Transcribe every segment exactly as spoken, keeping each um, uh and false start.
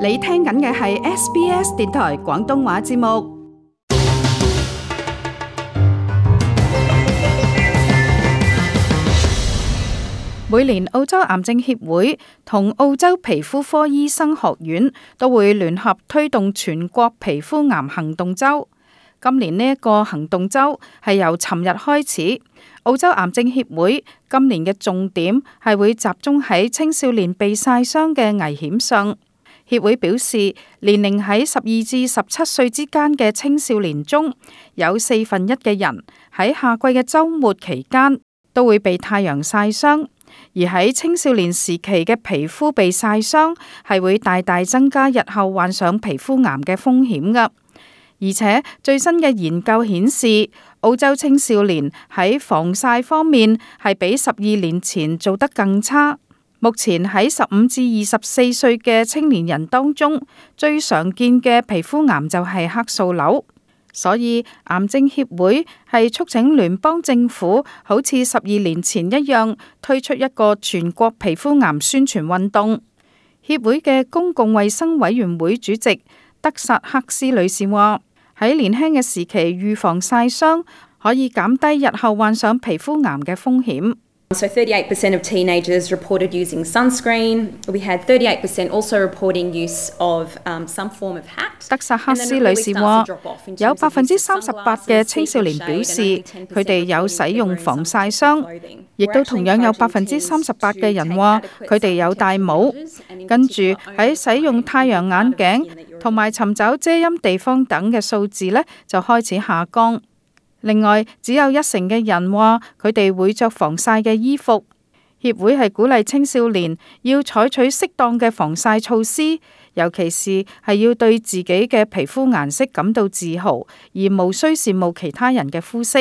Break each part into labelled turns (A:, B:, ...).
A: 你聽緊嘅係 S B S 電台廣東話節目。每年澳洲癌症協會同澳洲皮膚科醫生學院都會聯合推動全國皮膚癌行動週。今年呢一個行動週係由尋日開始。澳洲癌症協會今年嘅重點係會集中喺青少年被曬傷嘅危險上。協會表示，年齡喺十二至十七歲之間嘅青少年中，有四分一嘅人喺夏季嘅週末期間都會被太陽曬傷，而喺青少年時期嘅皮膚被曬傷係會大大增加日後患上皮膚癌嘅風險㗎。而且最新嘅研究顯示，澳洲青少年喺防曬方面係比十二年前做得更差。目前喺十五至二十四歲嘅青年人當中，最常見嘅皮膚癌就係黑素瘤。所以癌症協會係促請聯邦政府好似十二年前一樣，推出一個全國皮膚癌宣傳運動。協會嘅公共衛生委員會主席德薩克斯女士話，喺年輕嘅時期預防曬傷，可以減低日後患上皮膚癌嘅風險。
B: So thirty-eight percent of teenagers reported using sunscreen. We had thirty-eight percent also reporting use of um, some form of hat.
A: 德薩克斯女士話，有百分之三十八嘅青少年表示佢哋有使用防曬霜，亦都同樣有百分之三十八嘅人話佢哋有戴帽。跟住喺使用太陽眼鏡同埋尋找遮陰地方等嘅數字呢，就開始下降。另外，只有一成嘅人話佢哋會着防曬嘅衣服。協會係鼓勵青少年要採取適當嘅防曬措施，尤其是係要對自己嘅皮膚顏色感到自豪，而無需羨慕其他人嘅膚色。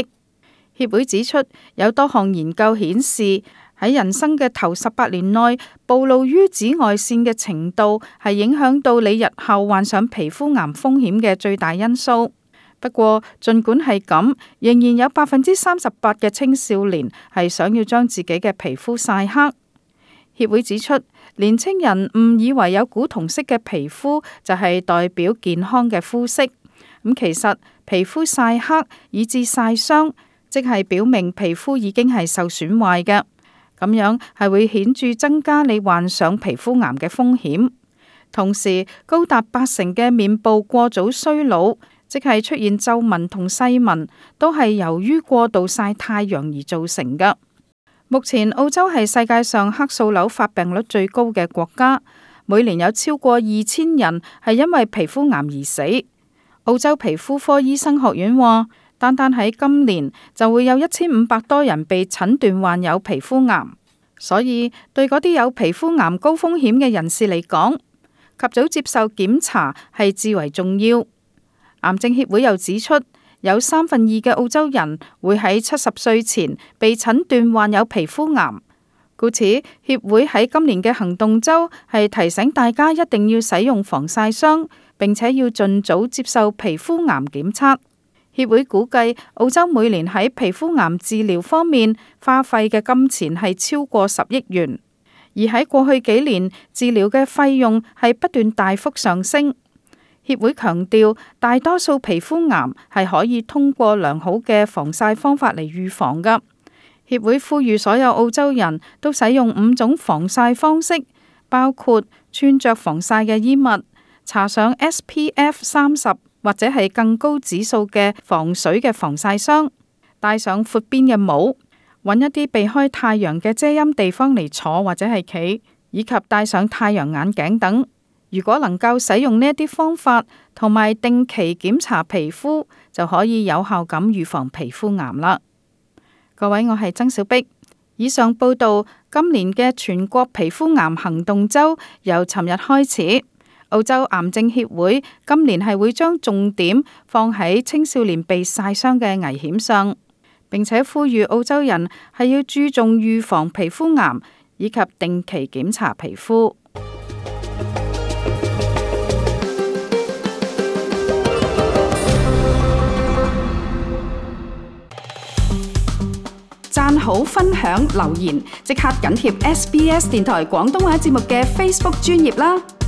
A: 協會指出，有多項研究顯示，喺人生嘅頭十八年內，暴露於紫外線嘅程度係影響到你日後患上皮膚癌風險嘅最大因素。不過，儘管係咁，仍然有百分之三十八嘅青少年係想要將自己嘅皮膚曬黑。協會指出，年青人誤以為有古銅色嘅皮膚就係代表健康嘅膚色。咁其實皮膚曬黑以至曬傷，即係表明皮膚已經係受損壞嘅。咁樣係會顯著增加你患上皮膚癌嘅風險。同時，高達八成嘅面部過早衰老，即係出現皺紋同細紋，都係由於過度曬太陽而造成嘅。目前澳洲係世界上黑素瘤發病率最高嘅國家，每年有超過二千人係因為皮膚癌而死。澳洲皮膚科醫生學院話，單單喺今年就會有一千五百多人被診斷患有皮膚癌，所以對嗰啲有皮膚癌高風險嘅人士嚟講，及早接受檢查係至為重要。癌症協會又指出，有三分二嘅澳洲人會喺七十歲前被診斷患有皮膚癌，故此協會喺今年嘅行動週係提醒大家一定要使用防曬霜，並且要盡早接受皮膚癌檢測。協會估計澳洲每年喺皮膚癌治療方面花費嘅金錢係超過十億元，而喺過去幾年治療嘅費用係不斷大幅上升。協會強調，大多數皮膚癌係可以通過良好嘅防曬方法嚟預防㗎。協會呼籲所有澳洲人都使用五種防曬方式，包括穿着防曬嘅衣物、搽上 S P F 三十或者係更高指數嘅防水嘅防曬霜，戴上闊邊嘅帽，揾一啲避開太陽嘅遮陰地方嚟坐或者係企，以及戴上太陽眼鏡等。如果能夠使用呢一啲方法，同埋定期檢查皮膚，就可以有效咁預防皮膚癌啦。各位，我係曾小碧。以上報道，今年嘅全國皮膚癌行動週由尋日開始。澳洲癌症協會今年係會將重點放喺青少年被曬傷嘅危險上，並且呼籲澳洲人係要注重預防皮膚癌，以及定期檢查皮膚。讚好、分享、留言，即刻緊貼 S B S 電台廣東話節目嘅 Facebook 專頁啦！